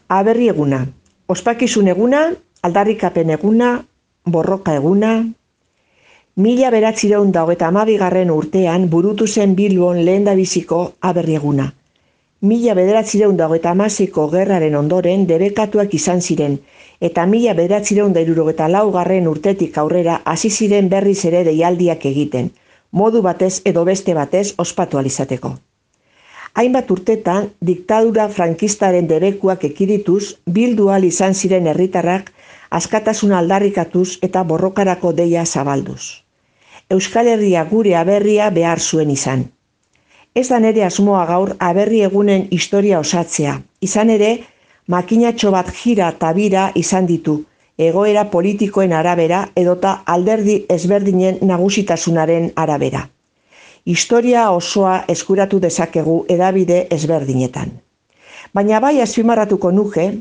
Aberri eguna, ospakizun eguna, aldarrikapen eguna, borroka eguna. 1922 urtean burutu zen Bilbon lehendabiziko aberri eguna. 1936ko gerraren ondoren debekatuak izan ziren, eta 1974 urtetik aurrera hasi ziren berriz ere deialdiak egiten, modu batez edo beste batez ospatu ahal izateko. Hainbat urtetan, diktadura frankistaren debekuak ekidituz, bildu ahal izan ziren herritarrak askatasuna aldarrikatuz eta borrokarako deia zabalduz. Euskal Herria gure aberria behar zuen izan. Ez da nere asmoa gaur aberri egunen historia osatzea, izan ere, makinatxo bat jira eta bira izan ditu, egoera politikoen arabera edota alderdi ezberdinen nagusitasunaren arabera. Historia osoa eskuratu dezakegu hedabide ezberdinetan. Baina bai azpimarratuko nuke,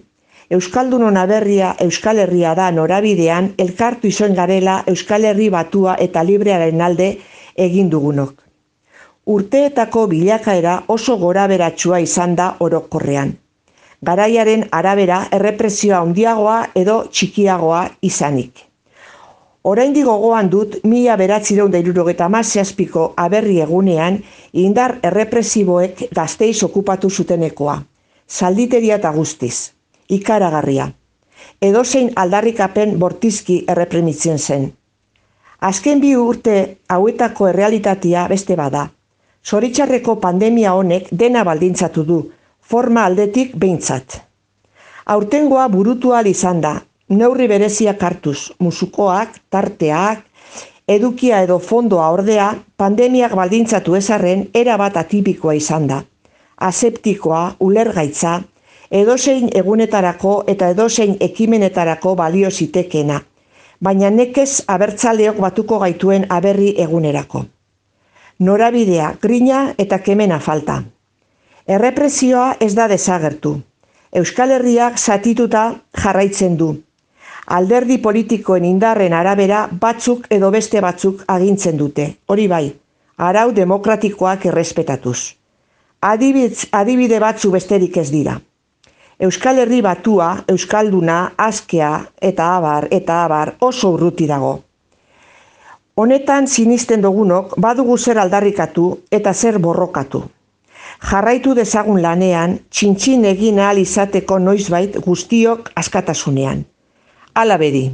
Euskaldunon aberria Euskal Herria da norabidean elkartu izan garela Euskal Herri batua eta librearen alde egin dugunok. Urteetako bilakaera oso goraberatsua izan da orokorrean. Garaiaren arabera errepresioa handiagoa edo txikiagoa izanik. Oraindik gogoan dut 1977ko aberri egunean indar errepresiboek Gasteiz okupatu zutenekoa. Zalditeria eta guztiz. Ikaragarria. Edozein aldarrikapen bortizki erreprimitzen zen. Azken 2 urte hauetako errealitatea beste bada. Zoritxarreko pandemia honek dena baldintzatu du, forma aldetik behintzat. Aurtengoa burutu ahal izan da, neurri bereziak hartuz, musukoak, tarteak, edukia edo fondoa ordea, pandemiak baldintzatu ezarren erabat atipikoa izan da. Aseptikoa, ulergaitza, edozein egunetarako eta edozein ekimenetarako balio zitekeena, baina nekez abertzaleok batuko gaituen aberri egunerako. Norabidea, grina eta kemena falta. Errepresioa ez da desagertu. Euskal Herriak zatituta jarraitzen du. Alderdi politikoen indarren arabera batzuk edo beste batzuk agintzen dute. Hori bai, arau demokratikoak errespetatuz. Adibide batzu besterik ez dira. Euskal Herri batua, Euskalduna, askea eta abar oso urruti dago. Honetan sinisten dugunok badugu zer aldarrikatu eta zer borrokatu. Jarraitu dezagun lanean, txintxin egin ahal izateko noizbait guztiok askatasunean. Hala bedi.